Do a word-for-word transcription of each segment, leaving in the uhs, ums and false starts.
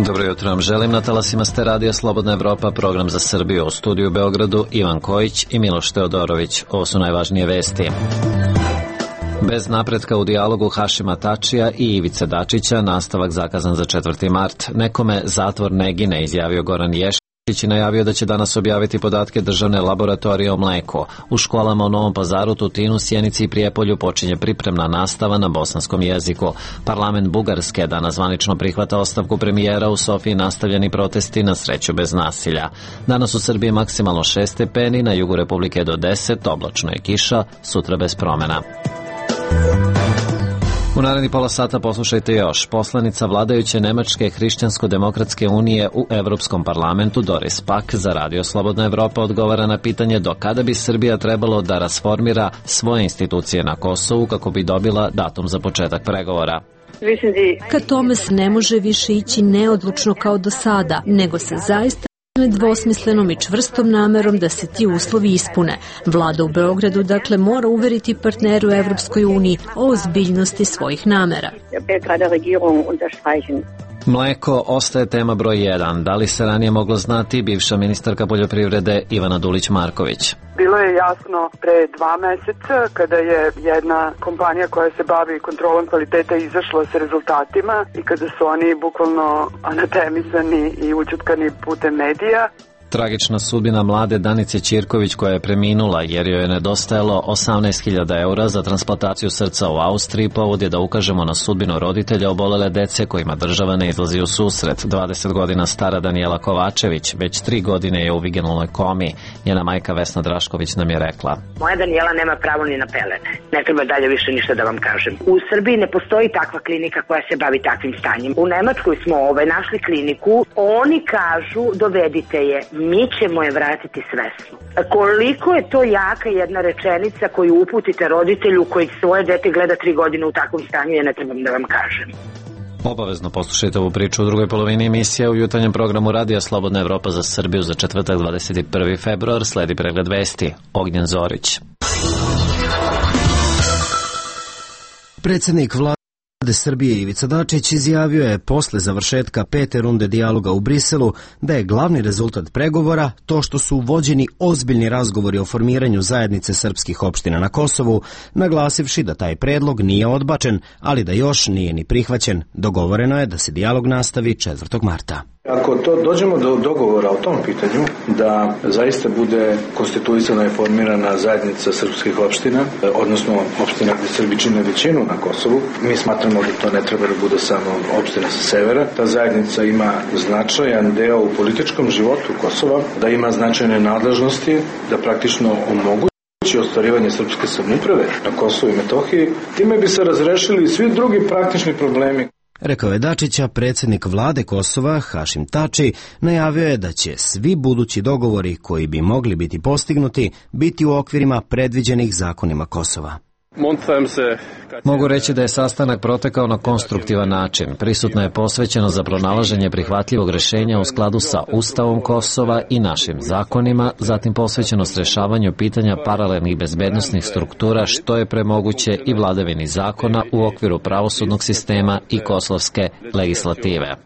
Dobro jutro vam želim. Na talasima ste Radio Slobodna Evropa, program za Srbiju. U studiju u Beogradu Ivan Kojić i Miloš Teodorović. Ovo su najvažnije vesti. Bez napretka u dijalogu Hašima Tačija i Ivice Dačića, nastavak zakazan za četvrti mart. Nekome zatvor ne gine, izjavio Goran Ješić i najavio da će danas objaviti podatke državne laboratorije o mleku. U školama u Novom Pazaru, Tutinu, Sjenici i Prijepolju počinje pripremna nastava na bosanskom jeziku. Parlament Bugarske danas zvanično prihvata ostavku premijera, u Sofiji nastavljeni protesti, na sreću bez nasilja. Danas u Srbiji maksimalno šest stepeni, na jugu Republike do deset, oblačno je kiša, sutra bez promena. U naredni pola sata poslušajte još. Poslanica vladajuće Nemačke hrišćansko-demokratske unije u Evropskom parlamentu Doris Pack za Radio Slobodna Evropa odgovara na pitanje do kada bi Srbija trebalo da rasformira svoje institucije na Kosovu kako bi dobila datum za početak pregovora. Ka tome se ne može više ići neodlučno kao do sada, nego se zaista nedvosmislenom i čvrstom namerom da se ti uslovi ispune. Vlada u Beogradu dakle mora uveriti partneru u Evropskoj uniji o ozbiljnosti svojih namera. Mleko ostaje tema broj jedan. Da li se ranije moglo znati, bivša ministarka poljoprivrede Ivana Dulić-Marković? Bilo je jasno pre dva meseca kada je jedna kompanija koja se bavi kontrolom kvaliteta izašla sa rezultatima i kada su oni bukvalno anatemisani i ućutkani putem medija. Tragična sudbina mlade Danice Ćirković koja je preminula jer joj je nedostajalo osamnaest hiljada eura za transplantaciju srca u Austriji. Povod je da ukažemo na sudbinu roditelja obolele dece kojima država ne izlazi u susret. dvadeset godina stara Danijela Kovačević već tri godine je u vigenulnoj komi. Njena majka Vesna Drašković nam je rekla: moja Danijela nema pravo ni na pelene. Ne treba dalje više ništa da vam kažem. U Srbiji ne postoji takva klinika koja se bavi takvim stanjem. U Nemačkoj smo ovaj našli kliniku. Oni kažu dovedite je, mi ćemo je vratiti svesno. Koliko je to jaka jedna rečenica koju uputite roditelju koji svoje dete gleda tri godine u takvom stanju, ja ne trebam da vam kažem. Obavezno poslušajte ovu priču u drugoj polovini emisije u jutarnjem programu Radija Slobodna Evropa za Srbiju za četvrtak dvadeset prvi februar. Sledi pregled vesti. Ognjen Zorić. Predsednik vlade Srbije Ivica Dačić izjavio je posle završetka pete runde dijaloga u Briselu da je glavni rezultat pregovora to što su vođeni ozbiljni razgovori o formiranju zajednice srpskih opština na Kosovu, naglasivši da taj predlog nije odbačen, ali da još nije ni prihvaćen. Dogovoreno je da se dijalog nastavi četvrtog marta. Ako to dođemo do dogovora o tom pitanju, da zaista bude konstituisana i formirana zajednica srpskih opština, odnosno opština gde Srbi čine većinu na Kosovu, mi smatramo da to ne treba da bude samo opština sa severa. Ta zajednica ima značajan deo u političkom životu Kosova, da ima značajne nadležnosti, da praktično omogući ostvarivanje srpske samouprave na Kosovu i Metohiji. Time bi se razrešili svi drugi praktični problemi. Rekao je Dačića, predsjednik vlade Kosova, Hašim Tači, najavio je da će svi budući dogovori koji bi mogli biti postignuti biti u okvirima predviđenih zakonima Kosova. Mogu reći da je sastanak protekao na konstruktivan način. Prisutna je posvećeno za pronalaženje prihvatljivog rešenja u skladu sa Ustavom Kosova i našim zakonima, zatim posvećenost rešavanju pitanja paralelnih bezbednosnih struktura što je premoguće i vladavini zakona u okviru pravosudnog sistema i kosovske legislative.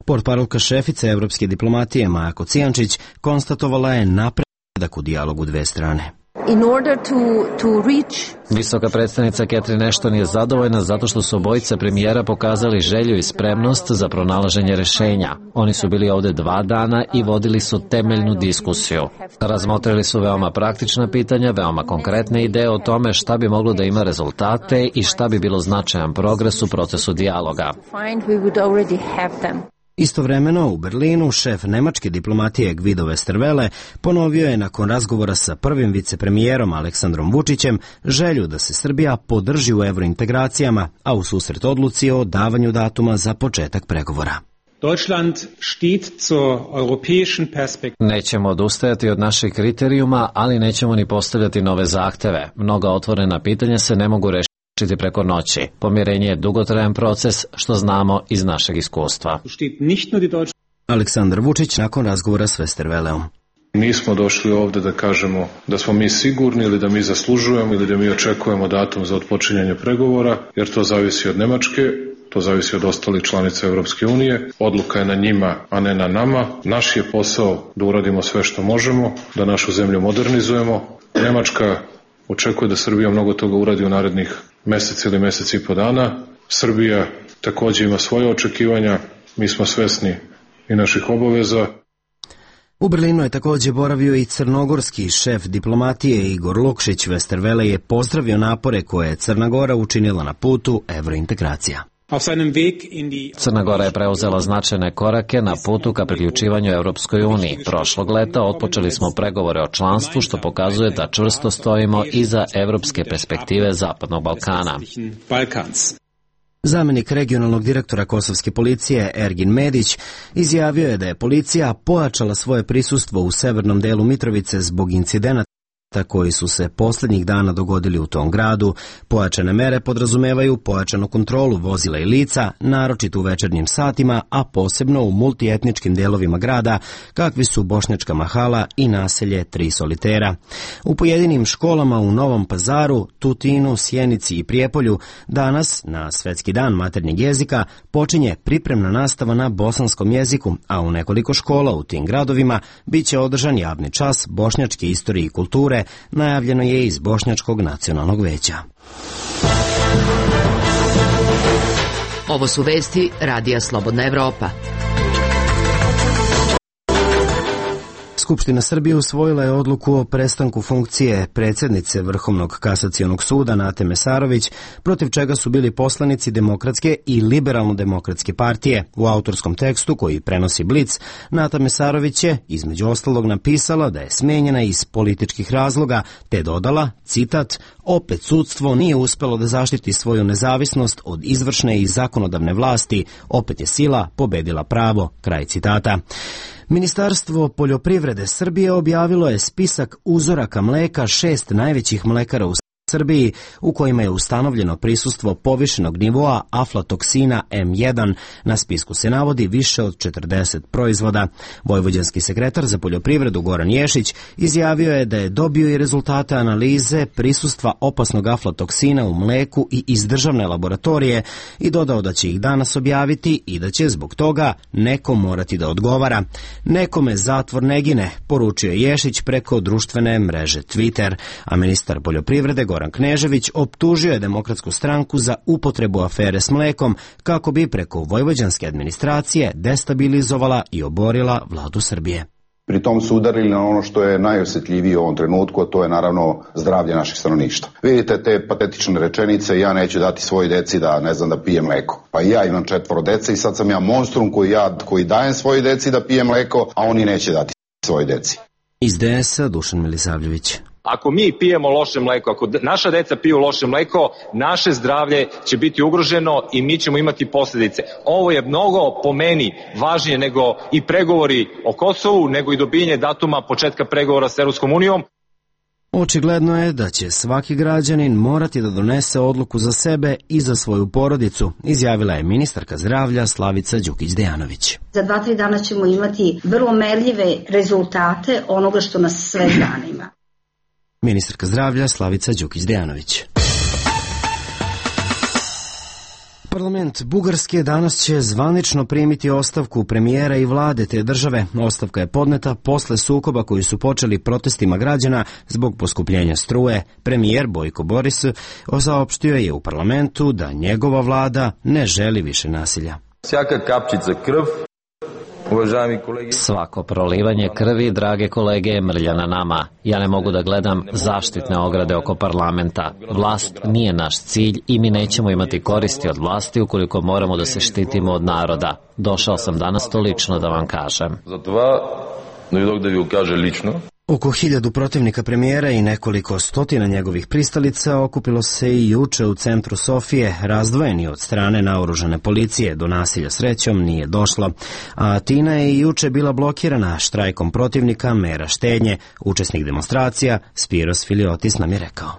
Portparolka šefice evropske diplomatije Maja Kocijančić konstatovala je napredak u dijalogu dve strane. In order to, to reach... Visoka predstavnica Catherine Ashton je zadovoljna zato što su obojica premijera pokazali želju i spremnost za pronalaženje rešenja. Oni su bili ovde dva dana i vodili su temeljnu diskusiju. Razmotrili su veoma praktična pitanja, veoma konkretne ideje o tome šta bi moglo da ima rezultate i šta bi bilo značajan progres u procesu dijaloga. Istovremeno u Berlinu šef nemačke diplomatije Guido Westerwelle ponovio je nakon razgovora sa prvim vicepremijerom Aleksandrom Vučićem želju da se Srbija podrži u evrointegracijama, a u susret odluci o davanju datuma za početak pregovora. Deutschland steht zur europäischen Perspektive. Nećemo odustajati od naših kriterijuma, ali nećemo ni postavljati nove zahteve. Mnoga otvorena pitanja se ne mogu rešiti preko noći. Pomirenje je dugotrajan proces, što znamo iz našeg iskustva. Aleksandar Vučić nakon razgovora s Westerwelleom. Nismo došli ovde da kažemo da smo mi sigurni ili da mi zaslužujemo ili da mi očekujemo datum za otpočinjanje pregovora, jer to zavisi od Nemačke, to zavisi od ostalih članica Evropske unije. Odluka je na njima, a ne na nama. Naš je posao da uradimo sve što možemo, da našu zemlju modernizujemo. Nemačka očekuje da Srbija mnogo toga uradi u narednih mesec ili mesec i po dana. Srbija takođe ima svoje očekivanja, mi smo svesni i naših obaveza. U Berlinu je takođe boravio i crnogorski šef diplomatije Igor Lukšić. Westerwelle je pozdravio napore koje je Crna Gora učinila na putu evrointegracija. Crna Gora je preuzela značajne korake na putu ka priključivanju Evropskoj uniji. Prošlog leta otpočeli smo pregovore o članstvu, što pokazuje da čvrsto stojimo iza evropske perspektive Zapadnog Balkana. Zamenik regionalnog direktora kosovske policije Ergin Medić izjavio je da je policija pojačala svoje prisustvo u severnom delu Mitrovice zbog incidenata koji su se posljednjih dana dogodili u tom gradu. Pojačane mere podrazumevaju pojačanu kontrolu vozila i lica, naročito u večernjim satima, a posebno u multietničkim delovima grada, kakvi su Bošnjačka mahala i naselje Tri solitera. U pojedinim školama u Novom Pazaru, Tutinu, Sjenici i Prijepolju danas, na Svetski dan maternjeg jezika, počinje pripremna nastava na bosanskom jeziku, a u nekoliko škola u tim gradovima biće održan javni čas bošnjačke istorije i kulture, najavljeno je iz Bošnjačkog nacionalnog veća. Ovo su vesti Radija Slobodna Evropa. Skupština Srbije usvojila je odluku o prestanku funkcije predsjednice Vrhovnog kasacionog suda Nate Mesarović, protiv čega su bili poslanici Demokratske i Liberalno-demokratske partije. U autorskom tekstu koji prenosi Blic, Nata Mesarović je između ostalog napisala da je smenjena iz političkih razloga, te dodala, citat, opet sudstvo nije uspelo da zaštiti svoju nezavisnost od izvršne i zakonodavne vlasti, opet je sila pobedila pravo, kraj citata. Ministarstvo poljoprivrede Srbije objavilo je spisak uzoraka mleka šest najvećih mlekara u Srbiji u kojima je ustanovljeno prisustvo povišenog nivoa aflatoksina em jedan. Na spisku se navodi više od četrdeset proizvoda. Vojvođanski sekretar za poljoprivredu Goran Ješić izjavio je da je dobio i rezultate analize prisustva opasnog aflatoksina u mleku i iz državne laboratorije i dodao da će ih danas objaviti i da će zbog toga neko morati da odgovara. Nekome zatvor ne gine, poručio je Ješić preko društvene mreže Twitter, a ministar poljoprivrede Goran Goran Knežević optužio je Demokratsku stranku za upotrebu afere s mlekom kako bi preko vojvođanske administracije destabilizovala i oborila vladu Srbije. Pri tom su udarili na ono što je najosjetljivije u ovom trenutku, a to je naravno zdravlje naših stanovništva. Vidite te patetične rečenice, ja neću dati svoj deci da, ne znam, da pije mleko. Pa i ja imam četvoro dece i sad sam ja monstrum koji, ja, koji dajem svoj deci da pije mleko, a oni neće dati svoj deci. Iz D S A Dušan Milisavljević. Ako mi pijemo loše mleko, ako naša deca piju loše mleko, naše zdravlje će biti ugroženo i mi ćemo imati posljedice. Ovo je mnogo po meni važnije nego i pregovori o Kosovu, nego i dobijanje datuma početka pregovora s Evropskom unijom. Očigledno je da će svaki građanin morati da donese odluku za sebe i za svoju porodicu, izjavila je ministarka zdravlja Slavica Đukić-Dejanović. Za dva, tri dana ćemo imati vrlo merljive rezultate onoga što nas sve zanima. Ministarka zdravlja Slavica Đukić-Dejanović. Parlament Bugarske danas će zvanično primiti ostavku premijera i vlade te države. Ostavka je podneta posle sukoba koji su počeli protestima građana zbog poskupljenja struje. Premijer Bojko Boris saopštio je u parlamentu da njegova vlada ne želi više nasilja. Svaka kapčica krv, svako prolivanje krvi, drage kolege, je mrlja na nama. Ja ne mogu da gledam zaštitne ograde oko parlamenta. Vlast nije naš cilj i mi nećemo imati koristi od vlasti ukoliko moramo da se štitimo od naroda. Došao sam danas to lično da vam kažem. Затова дојдох да ви го кажа лично. Oko hiljadu protivnika premijera i nekoliko stotina njegovih pristalica okupilo se i juče u centru Sofije, razdvojeni od strane naoružane policije. Do nasilja srećom nije došlo. A Atina je i juče bila blokirana štrajkom protivnika mera štednje. Učesnik demonstracija Spiros Filiotis nam je rekao: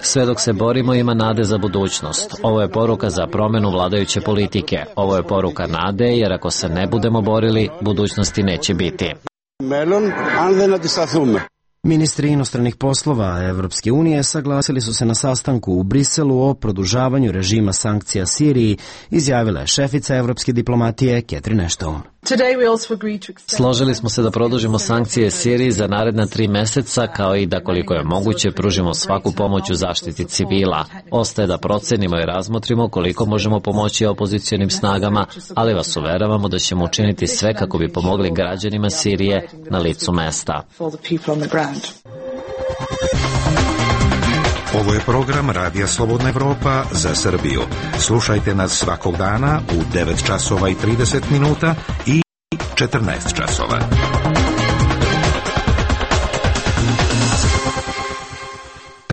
sve dok se borimo ima nade za budućnost. Ovo je poruka za promenu vladajuće politike. Ovo je poruka nade, jer ako se ne budemo borili, budućnosti neće biti. Ministri inostranih poslova Evropske unije saglasili su se na sastanku u Briselu o produžavanju režima sankcija Siriji, izjavila je šefica evropske diplomatije Catherine Ashton. Složili smo se da produžimo sankcije Siriji za naredna tri meseca, kao i da koliko je moguće pružimo svaku pomoć u zaštiti civila. Ostaje da procenimo i razmotrimo koliko možemo pomoći opozicionim snagama, ali vas uveravamo da ćemo učiniti sve kako bi pomogli građanima Sirije na licu mesta. Ovo je program Radija Slobodna Evropa za Srbiju. Slušajte nas svakog dana u devet časova i trideset minuta i četrnaest časova.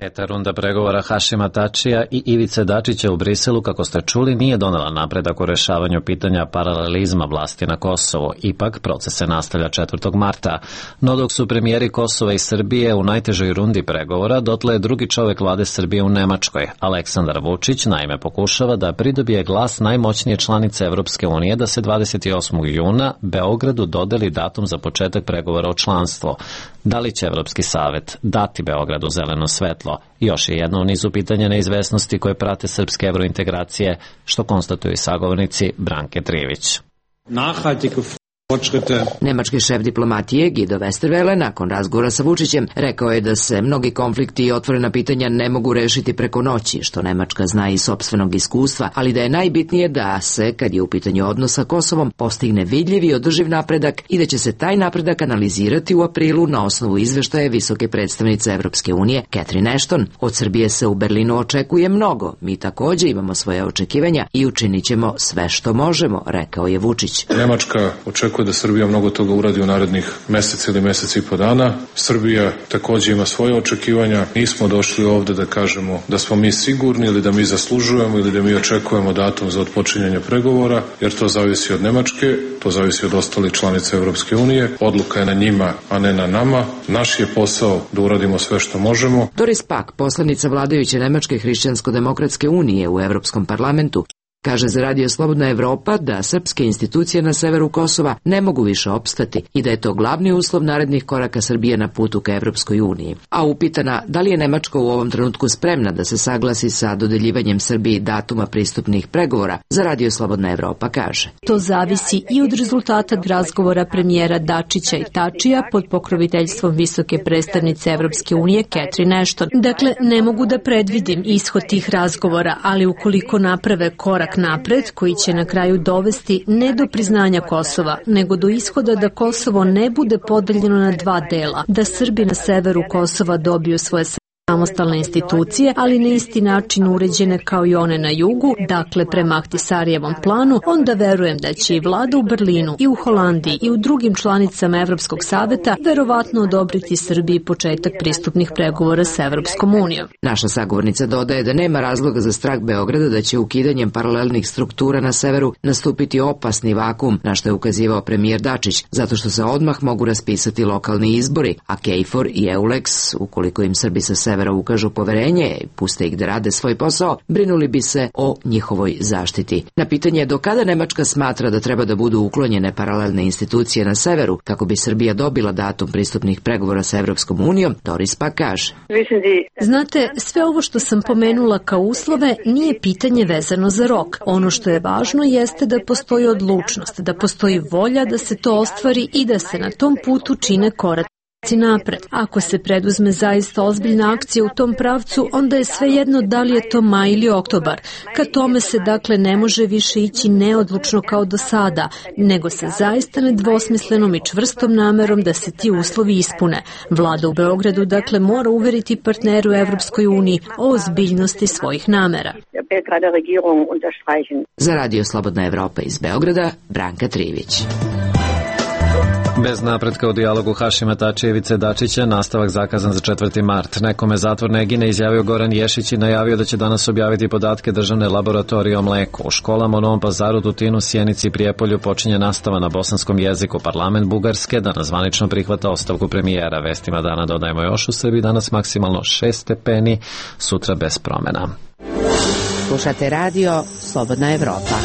Peta runda pregovora Hašima Tačija i Ivice Dačića u Briselu, kako ste čuli, nije donela napredak u rešavanju pitanja paralelizma vlasti na Kosovu. Ipak, proces se nastavlja četvrtog marta. No dok su premijeri Kosova i Srbije u najtežoj rundi pregovora, dotle je drugi čovek vlade Srbije u Nemačkoj. Aleksandar Vučić naime pokušava da pridobije glas najmoćnije članice Evropske unije da se dvadeset osmog juna Beogradu dodeli datum za početak pregovora o članstvu. Da li će Evropski savet dati Beogradu zeleno svetlo? Još je jedno u nizu pitanja neizvesnosti koje prate srpske evrointegracije, što konstatuju i sagovornici Branke Trivić. Nemački šef diplomatije Guido Westerwelle nakon razgovora sa Vučićem rekao je da se mnogi konflikti i otvorena pitanja ne mogu rešiti preko noći, što Nemačka zna iz sopstvenog iskustva, ali da je najbitnije da se, kad je u pitanju odnos sa Kosovom, postigne vidljiv i održiv napredak i da će se taj napredak analizirati u aprilu na osnovu izveštaja visoke predstavnice Evropske unije Catherine Ashton. Od Srbije se u Berlinu očekuje mnogo. Mi takođe imamo svoje očekivanja i učinit ćemo sve što možemo, rekao je Vučić. Nemačka očekuje da Srbija mnogo toga uradi u narednih mesec ili mesec i po dana. Srbija takođe ima svoje očekivanja. Nismo došli ovde da kažemo da smo mi sigurni ili da mi zaslužujemo ili da mi očekujemo datum za otpočinjanje pregovora, jer to zavisi od Nemačke, to zavisi od ostalih članica Evropske unije. Odluka je na njima, a ne na nama. Naš je posao da uradimo sve što možemo. Doris Pack, poslanica vladajuće Nemačke hrišćansko-demokratske unije u Evropskom parlamentu, kaže za Radio Slobodna Evropa da srpske institucije na severu Kosova ne mogu više opstati i da je to glavni uslov narednih koraka Srbije na putu ka Evropskoj uniji. A upitana da li je Nemačka u ovom trenutku spremna da se saglasi sa dodeljivanjem Srbiji datuma pristupnih pregovora, za Radio Slobodna Evropa kaže: To zavisi i od rezultata razgovora premijera Dačića i Tačija pod pokroviteljstvom visoke predstavnice Evropske unije Catherine Ashton. Dakle, ne mogu da predvidim ishod tih razgovora, ali ukoliko naprave korak napred koji će na kraju dovesti ne do priznanja Kosova, nego do ishoda da Kosovo ne bude podeljeno na dva dela, da Srbi na severu Kosova dobiju svoje samostalne institucije, ali na isti način uređene kao i one na jugu, dakle prema Ahtisarijevom planu, onda verujem da će i vlada u Berlinu i u Holandiji i u drugim članicama Evropskog saveta verovatno odobriti Srbiji početak pristupnih pregovora s Evropskom unijom. Naša sagovornica dodaje da nema razloga za strah Beograda da će ukidanjem paralelnih struktura na severu nastupiti opasni vakum, na što je ukazivao premijer Dačić, zato što se odmah mogu raspisati lokalni izbori, a KFOR i EULEX, ukoliko im Srbi sa severa ukažu poverenje i puste ih da rade svoj posao, brinuli bi se o njihovoj zaštiti. Na pitanje do kada Nemačka smatra da treba da budu uklonjene paralelne institucije na severu kako bi Srbija dobila datum pristupnih pregovora sa Evropskom unijom, Doris Pack kaže: Znate, sve ovo što sam pomenula kao uslove nije pitanje vezano za rok. Ono što je važno jeste da postoji odlučnost, da postoji volja da se to ostvari i da se na tom putu čine koraci napred. Ako se preduzme zaista ozbiljna akcija u tom pravcu, onda je svejedno da li je to maj ili oktobar. Ka tome se dakle ne može više ići neodlučno kao do sada, nego sa zaista nedvosmislenom i čvrstom namerom da se ti uslovi ispune. Vlada u Beogradu dakle mora uveriti partneru u Evropskoj uniji o ozbiljnosti svojih namera. Za Radio Slobodna Evropa iz Beograda, Branka Trivić. Bez napretka u dijalogu Hašima Tačija i Ivice Dačića, nastavak zakazan za četvrti mart. Nekome zatvor ne gine, izjavio Goran Ješić i najavio da će danas objaviti podatke državne laboratorije o mleku. U školama u Novom Pazaru, Tutinu, Sjenici i Prijepolju počinje nastava na bosanskom jeziku. Parlament Bugarske danas zvanično prihvata ostavku premijera. Vestima dana dodajemo još: u Srbiji danas maksimalno šest stepeni, sutra bez promena. Slušate Radio Slobodna Evropa.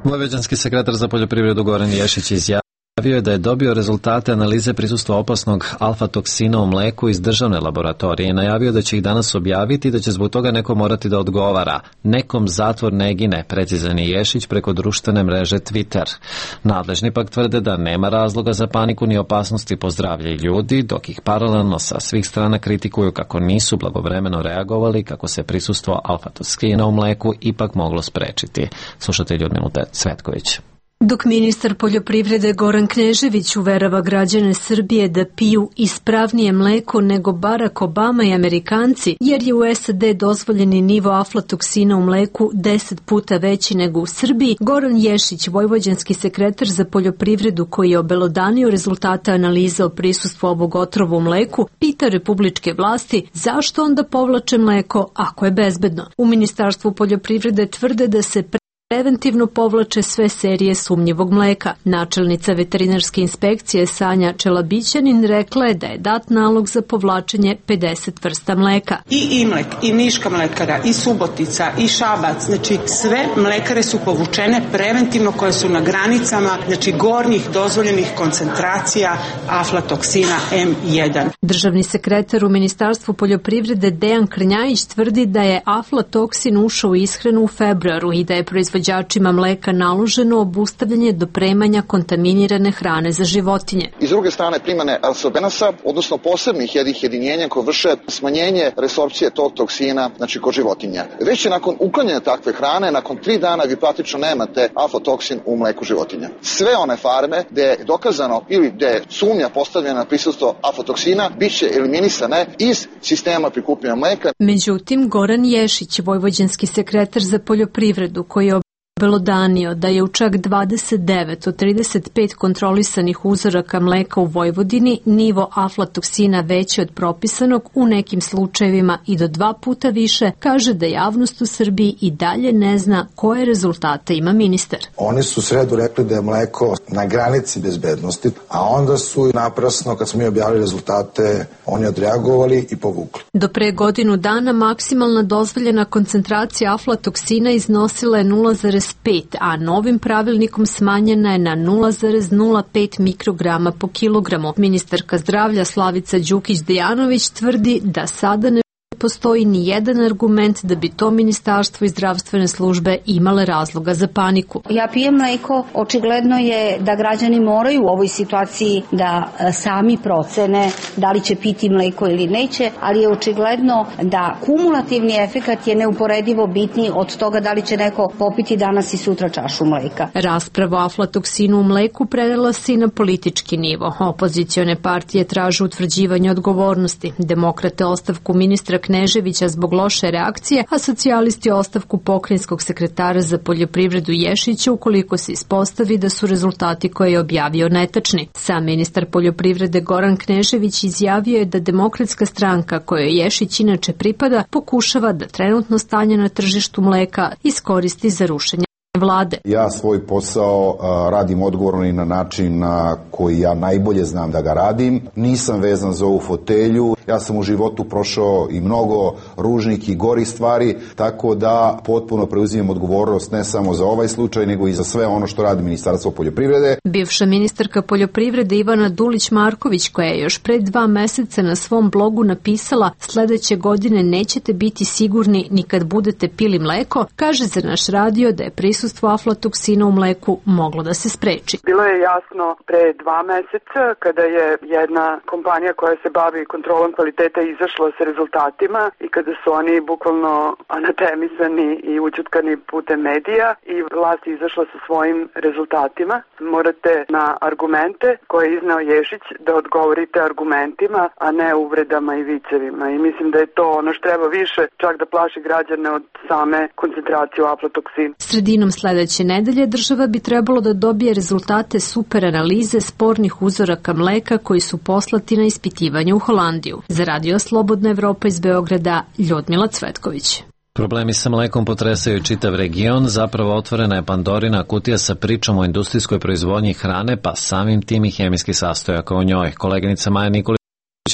Vojvođanski sekretar za poljoprivredu Goran Ješić izjavio Izjavio je da je dobio rezultate analize prisustva opasnog alfa-toksina u mleku iz državne laboratorije i najavio da će ih danas objaviti i da će zbog toga neko morati da odgovara. Nekom zatvor ne gine, precizan je Ješić preko društvene mreže Twitter. Nadležni pak tvrde da nema razloga za paniku ni opasnosti po zdravlje ljudi, dok ih paralelno sa svih strana kritikuju kako nisu blagovremeno reagovali, kako se prisustvo alfa-toksina u mleku ipak moglo sprečiti. Slušate Ljudmilu Cvetković. Dok ministar poljoprivrede Goran Knežević uverava građane Srbije da piju ispravnije mleko nego Barack Obama i Amerikanci, jer je u S A D dozvoljeni nivo aflatoksina u mleku deset puta veći nego u Srbiji, Goran Ješić, vojvođanski sekretar za poljoprivredu koji je obelodanio rezultate analize o prisustvu ovog otrova u mleku, pita republičke vlasti zašto onda povlače mleko ako je bezbedno. U Ministarstvu poljoprivrede tvrde da se preventivno povlače sve serije sumnjivog mleka. Načelnica veterinarske inspekcije Sanja Čelabićanin rekla je da je dat nalog za povlačenje pedeset vrsta mleka. I Imlek, i Niška mlekara, i Subotica, i Šabac, znači sve mlekare su povučene preventivno koje su na granicama, znači gornjih dozvoljenih koncentracija aflatoksina em jedan. Državni sekretar u Ministarstvu poljoprivrede Dejan Krnjajić tvrdi da je aflatoksin ušao u ishranu u februaru i da je proizvođačima mleka naloženo obustavljanje dopremanja kontaminirane hrane za životinje. I s druge strane primane arsobenasa, odnosno posebnih jednih jedinjenja koje vrše smanjenje resorpcije tog toksina, znači kod životinja. Već je nakon uklanjanja takve hrane, nakon tri dana vi praktično nemate aflatoksin u mleku životinja. Sve one farme gde je dokazano ili gde je sumnja postavljena na prisustvo aflatoksina, bit će eliminisane iz sistema prikupljanja mleka. Međutim, Goran Ješić, vojvođanski sekretar za poljoprivredu, koji je obelodanio da je u čak dvadeset devet od trideset pet kontrolisanih uzoraka mleka u Vojvodini nivo aflatoksina veći od propisanog, u nekim slučajevima i do dva puta više, kaže da javnost u Srbiji i dalje ne zna koje rezultate ima ministar. Oni su u sredu rekli da je mleko na granici bezbednosti, a onda su naprasno, kad smo mi objavili rezultate, oni odreagovali i povukli. Do pre godinu dana maksimalna dozvoljena koncentracija aflatoksina iznosila je nula zarez pet, a novim pravilnikom smanjena je na nula zarez nula pet mikrograma po kilogramu. Ministarka zdravlja Slavica Đukić-Dejanović tvrdi da sada ne postoji ni jedan argument da bi to ministarstvo i zdravstvene službe imale razloga za paniku. Ja pijem mleko, očigledno je da građani moraju u ovoj situaciji da sami procene da li će piti mleko ili neće, ali je očigledno da kumulativni efekat je neuporedivo bitniji od toga da li će neko popiti danas i sutra čašu mleka. Rasprava o aflatoksinu u mleku prelila se i na politički nivo. Opozicione partije traže utvrđivanje odgovornosti. Demokrate ostavku ministra Kneževića zbog loše reakcije, a socijalisti ostavku pokrajinskog sekretara za poljoprivredu Ješića ukoliko se ispostavi da su rezultati koje je objavio netačni. Sam ministar poljoprivrede Goran Knežević izjavio je da Demokratska stranka kojoj Ješić inače pripada pokušava da trenutno stanje na tržištu mleka iskoristi za rušenje vlade. Ja svoj posao a, radim odgovorno i na način na koji ja najbolje znam da ga radim. Nisam vezan za ovu fotelju. Ja sam u životu prošao i mnogo ružnih i gorih stvari, tako da potpuno preuzimam odgovornost ne samo za ovaj slučaj, nego i za sve ono što radi Ministarstvo poljoprivrede. Bivša ministarka poljoprivrede Ivana Dulić-Marković, koja je još pre dva meseca na svom blogu napisala sledeće godine nećete biti sigurni ni kad budete pili mleko, kaže za naš radio da je prisustvo aflatoksina u mleku moglo da se spreči. Bilo je jasno pre dva meseca kada je jedna kompanija koja se bavi kontrolom kvaliteta izašla sa rezultatima i kada su oni bukvalno anatemisani i učutkani putem medija i vlast izašla sa svojim rezultatima. Morate na argumente koje je izneo Ješić da odgovorite argumentima, a ne uvredama i vicevima. I mislim da je to ono što treba više čak da plaši građane od same koncentracije aflatoksina. Sredinom sledeće nedelje država bi trebalo da dobije rezultate super analize spornih uzoraka mleka koji su poslati na ispitivanje u Holandiju. Za Radio Slobodna Evropa iz Beograda, Ljudmila Cvetković. Problemi sa mlekom potresaju čitav region, zapravo otvorena je Pandorina kutija sa pričom o industrijskoj proizvodnji hrane, pa samim tim i hemijskih sastojaka u njoj. Koleginica Maja Nikolić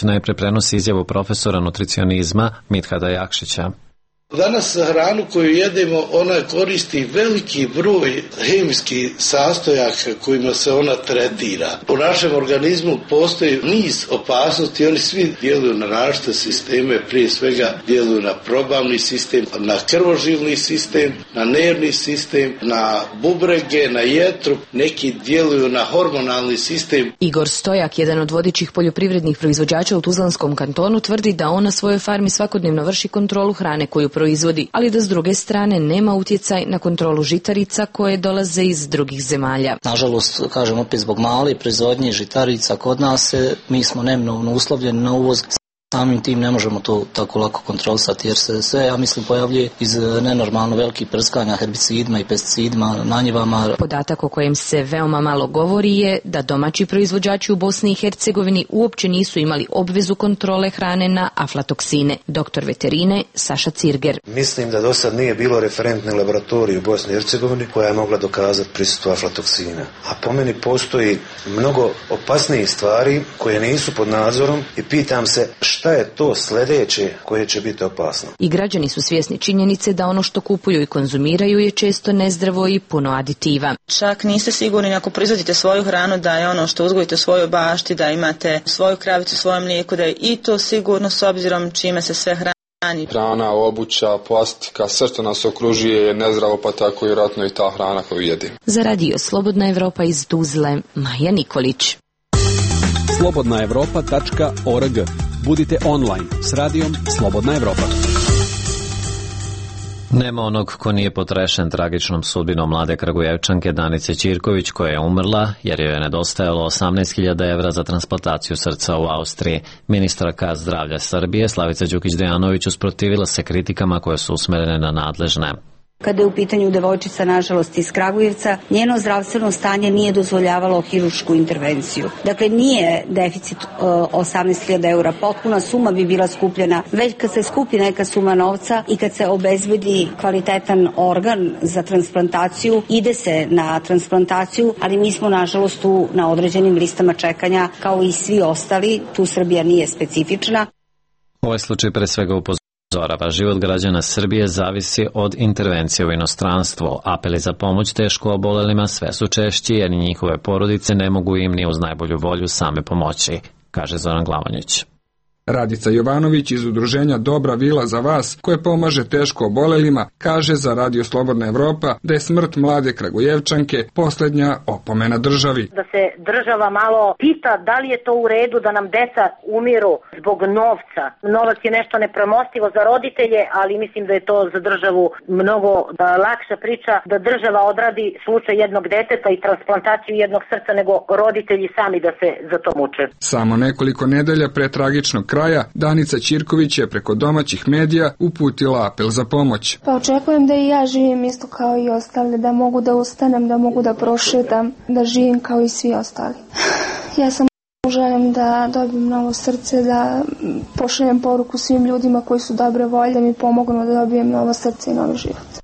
najpre prenosi izjavu profesora nutricionizma Mithada Jakšića. Danas hranu koju jedemo, ona koristi veliki broj hemijskih sastojaka kojima se ona tretira. U našem organizmu postoji niz opasnosti, oni svi djeluju na različite sisteme, prije svega djeluju na probavni sistem, na krvožilni sistem, na nervni sistem, na bubrege, na jetru, neki djeluju na hormonalni sistem. Igor Stojak, jedan od vodećih poljoprivrednih proizvođača u Tuzlanskom kantonu, tvrdi da on na svojoj farmi svakodnevno vrši kontrolu hrane koju proizvodi, ali da s druge strane nema utjecaj na kontrolu žitarica koje dolaze iz drugih zemalja. Nažalost, kažem opet zbog male proizvodnje žitarica kod nas, mi smo neminovno uslovljeni na uvoz. Samim tim ne možemo to tako lako kontrolisati jer se sve, ja mislim, pojavljuje iz nenormalno velikih prskanja herbicidima i pesticidima na njivama. Podatak o kojem se veoma malo govori je da domaći proizvođači u Bosni i Hercegovini uopće nisu imali obvezu kontrole hrane na aflatoksine. Doktor veterine Saša Cirger. Mislim da do sad nije bilo referentne laboratorije u Bosni i Hercegovini koja je mogla dokazati prisustvo aflatoksina. A po meni postoji mnogo opasnijih stvari koje nisu pod nadzorom i pitam se šta je to sljedeće koje će biti opasno. I građani su svjesni činjenice da ono što kupuju i konzumiraju je često nezdravo i puno aditiva. Čak niste sigurni ako proizvodite svoju hranu da je ono što uzgojite u svojoj bašti, da imate svoju kravicu, svoje mlijeko, da je i to sigurno s obzirom čime se sve hrani. Hrana, obuća, plastika, sve što nas okružuje je nezdravo, pa tako i vjerojatno i ta hrana koju jedimo. Za radio Slobodna Evropa iz Tuzle, Maja Nikolić. slobodna evropa tačka org. Budite online s radijom Slobodna Evropa. Nema onog ko nije potrešen tragičnom sudbinom mlade Kragujevčanke Danice Ćirković, koja je umrla jer joj je nedostajalo osamnaest hiljada evra za transplantaciju srca u Austriji. Ministarka zdravlja Srbije Slavica Đukić-Dejanović usprotivila se kritikama koje su usmerene na nadležne. Kada je u pitanju devojčica, nažalost, iz Kragujevca, njeno zdravstveno stanje nije dozvoljavalo hirušku intervenciju. Dakle, nije deficit osamnaest hiljada eura, potpuna suma bi bila skupljena. Već kad se skupi neka suma novca i kad se obezbedi kvalitetan organ za transplantaciju, ide se na transplantaciju, ali mi smo, nažalost, tu na određenim listama čekanja, kao i svi ostali. Tu Srbija nije specifična. Ovaj slučaj pre svega upozorava. Zorava, život građana Srbije zavisi od intervencije u inostranstvo. Apeli za pomoć teško obolelima sve su češći jer njihove porodice ne mogu im ni uz najbolju volju same pomoći, kaže Zoran Glavonjić. Radica Jovanović iz udruženja Dobra vila za vas, koje pomaže teško obolelima, kaže za Radio Slobodna Evropa da je smrt mlade Kragujevčanke posljednja opomena državi. Da se država malo pita da li je to u redu da nam deca umiru zbog novca. Novac je nešto nepremostivo za roditelje, ali mislim da je to za državu mnogo lakša priča da država odradi slučaj jednog deteta i transplantaciju jednog srca nego roditelji sami da se za to muče. Samo nekoliko nedelja pre tragičnog kraja Danica Ćirković je preko domaćih medija uputila apel za pomoć. Pa očekujem da i ja živim isto kao i ostali, da mogu da ustanem, da mogu da prošetam, da živim kao i svi ostali. Ja sam želim da dobijem novo srce, da pošaljem poruku svim ljudima koji su dobre volje, da mi pomognu da dobijem novo srce i novi život.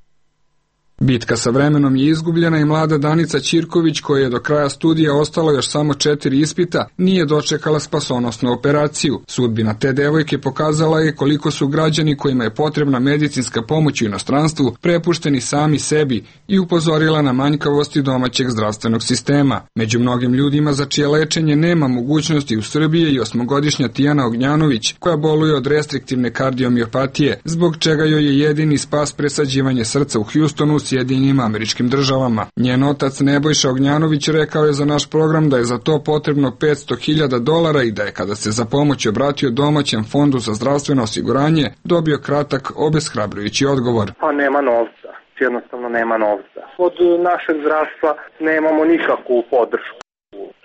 Bitka sa vremenom je izgubljena i mlada Danica Ćirković, koja je do kraja studija ostalo još samo četiri ispita, nije dočekala spasonosnu operaciju. Sudbina te devojke pokazala je koliko su građani kojima je potrebna medicinska pomoć u inostranstvu prepušteni sami sebi i upozorila na manjkavosti domaćeg zdravstvenog sistema. Među mnogim ljudima za čije lečenje nema mogućnosti u Srbiji je i osmogodišnja Tijana Ognjanović, koja boluje od restriktivne kardiomiopatije, zbog čega joj je jedini spas presađivanje srca u Houstonu, Sjedinjenim Američkim Državama. Njen otac Nebojša Ognjanović rekao je za naš program da je za to potrebno petsto hiljada dolara i da je kada se za pomoć obratio domaćem fondu za zdravstveno osiguranje dobio kratak, obeshrabrujući odgovor. Pa nema novca, jednostavno nema novca. Od našeg zdravstva nemamo nikakvu podršku.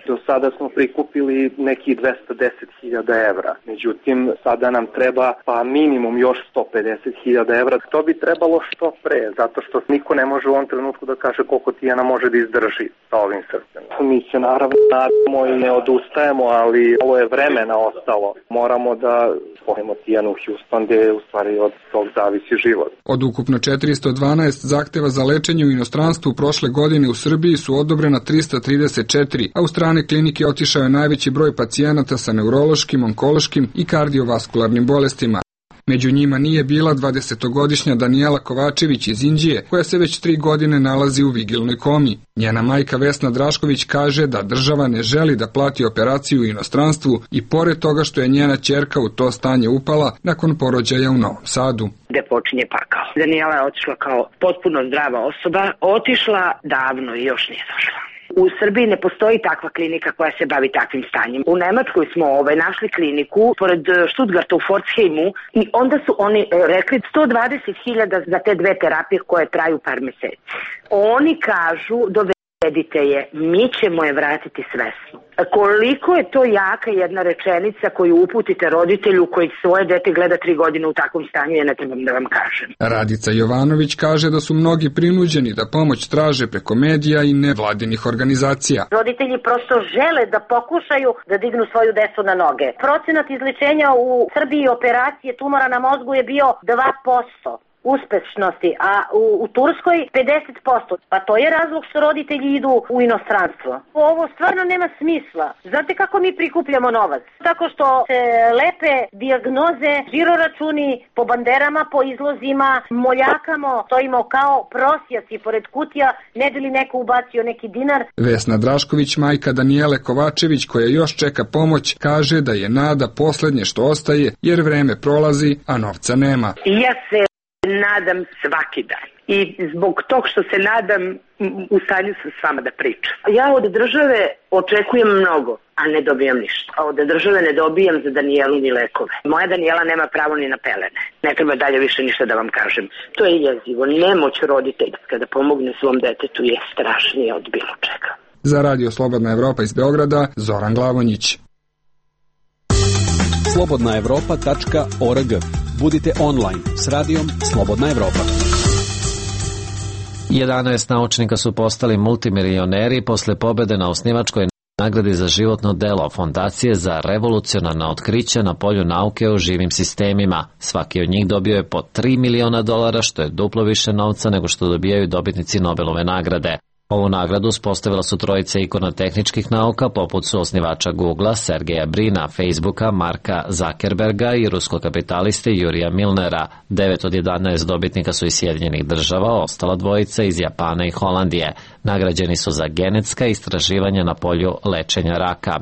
Do sada smo prikupili nekih dvesta deset hiljada evra. Međutim, sada nam treba pa minimum još sto pedeset hiljada evra. To bi trebalo što pre, zato što niko ne može u ovom trenutku da kaže koliko Tijana može da izdrži sa ovim srcem. Mi se naravno nadamo i ne odustajemo, ali ovo je vremena ostalo. Moramo da spojimo Tijanu u Houston, gde u stvari od tog zavisi život. Od ukupno četiristo dvanaest zahteva za lečenje u inostranstvu prošle godine u Srbiji su odobrena trista trideset četiri, a u strane klinike otišao je najveći broj pacijenata sa neurološkim, onkološkim i kardiovaskularnim bolestima. Među njima nije bila dvadesetogodišnja Danijela Kovačević iz Inđije, koja se već tri godine nalazi u vigilnoj komi. Njena majka Vesna Drašković kaže da država ne želi da plati operaciju u inostranstvu i pored toga što je njena ćerka u to stanje upala nakon porođaja u Novom Sadu. Gde počinje pakao. Danijela je otišla kao potpuno zdrava osoba, otišla davno i još nije došla. U Srbiji ne postoji takva klinika koja se bavi takvim stanjem. U Nemačkoj smo ovaj, našli kliniku pored Stuttgarta u Pforzheimu i onda su oni rekli sto dvadeset hiljada za te dve terapije koje traju par meseci. Oni kažu, dovedite je, mi ćemo je vratiti svesno. Koliko je to jaka jedna rečenica koju uputite roditelju koji svoje dete gleda tri godine u takvom stanju, ja ne trebam da vam kažem. Radica Jovanović kaže da su mnogi prinuđeni da pomoć traže preko medija i nevladinih organizacija. Roditelji prosto žele da pokušaju da dignu svoju decu na noge. Procenat izlečenja u Srbiji operacije tumora na mozgu je bio dva posto. Uspešnosti, a u, u Turskoj pedeset posto. Pa to je razlog što roditelji idu u inostranstvo. Ovo stvarno nema smisla. Znate kako mi prikupljamo novac? Tako što se lepe dijagnoze, žiroračuni po banderama, po izlozima, moljakamo, stojimo kao prosjaci pored kutija, ne bi li neko ubacio neki dinar. Vesna Drašković, majka Danijele Kovačević, koja još čeka pomoć, kaže da je nada poslednje što ostaje, jer vreme prolazi, a novca nema. Ja se nadam svaki dan. I zbog tog što se nadam, u stanju sam s vama da pričam. Ja od države očekujem mnogo, a ne dobijam ništa. A od države ne dobijam za Danijelu ni lekove. Moja Danijela nema pravo ni na pelene. Ne treba dalje više ništa da vam kažem. To je jezivo. Nemoć roditeljska da pomogne svom detetu je strašnije od bilo čega. Za Radio Slobodna Evropa iz Beograda, Zoran Glavonjić. slobodna evropa tačka org. Budite online s radijom Slobodna Evropa. jedanaest naučnika su postali multimilioneri posle pobede na osnivačkoj nagradi za životno delo Fondacije za revolucionarna otkrića na polju nauke o živim sistemima. Svaki od njih dobio je po tri miliona dolara, što je duplo više novca nego što dobijaju dobitnici Nobelove nagrade. Ovu nagradu uspostavila su trojica ikona tehničkih nauka, poput su osnivača Googlea, Sergeja Brina, Facebooka, Marka Zuckerberga i ruskog kapitaliste Jurija Milnera. devet od jedanaest dobitnika su iz Sjedinjenih država, ostala dvojica iz Japana i Holandije. Nagrađeni su za genetska istraživanja na polju lečenja raka.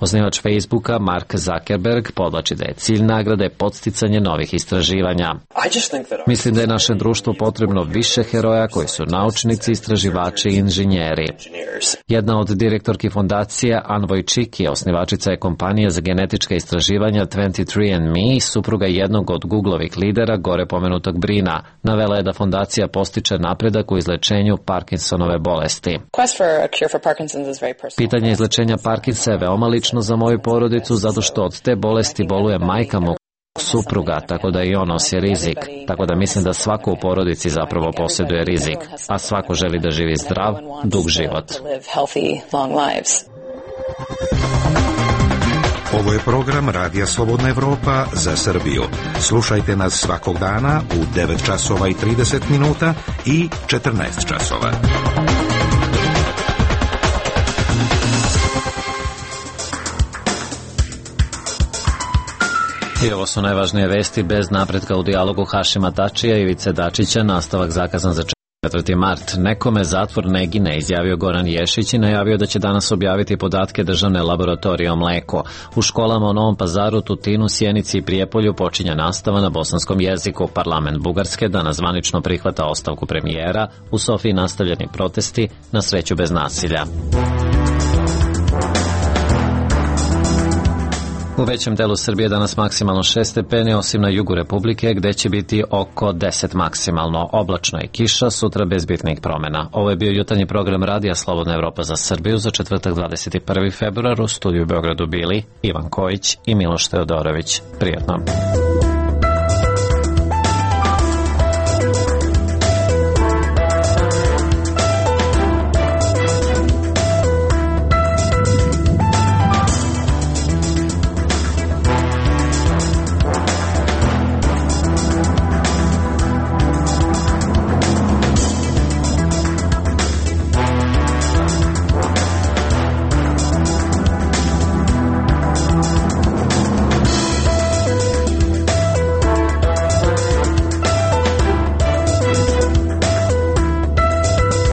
Osnivač Facebooka, Mark Zuckerberg, podlači da je cilj nagrade podsticanje novih istraživanja. Mislim da je našem društvu potrebno više heroja koji su naučnici, istraživači i inženjeri. Jedna od direktorki fondacije, Ann Vojčiki, osnivačica je kompanije za genetička istraživanja dvadeset tri and me i supruga jednog od Googlovih lidera, gore pomenutog Brina. Navela je da fondacija postiče napredak u izlečenju Parkinsonove bolesti. Pitanje izlečenja Parkinsa je veoma lično za moju porodicu, zato što od te bolesti boluje majka mog supruga, tako da i on nosi rizik. Tako da mislim da svako u porodici zapravo posjeduje rizik, a svako želi da živi zdrav, dug život. Ovo je program Radija Slobodna Evropa za Srbiju. Slušajte nas svakog dana u devet časova i trideset minuta i četrnaest časova. I ovo su najvažnije vesti. Bez napretka u dijalogu Hašima Tačija i Ivice Dačića, nastavak zakazan za četvrti mart. Nekome zatvor ne gine, izjavio Goran Ješić i najavio da će danas objaviti podatke državne laboratorije o mleku. U školama u Novom Pazaru, Tutinu, Sjenici i Prijepolju počinje nastava na bosanskom jeziku. Parlament Bugarske danas zvanično prihvata ostavku premijera. U Sofiji nastavljeni protesti, na sreću bez nasilja. U većem delu Srbije danas maksimalno šest stepeni, osim na jugu Republike, gde će biti oko deset maksimalno. Oblačno i kiša, sutra bez bitnih promena. Ovo je bio jutarnji program Radija Slobodna Evropa za Srbiju za četvrtak dvadeset prvi februar. U studiju u Beogradu bili Ivan Kojić i Miloš Teodorović. Prijatno.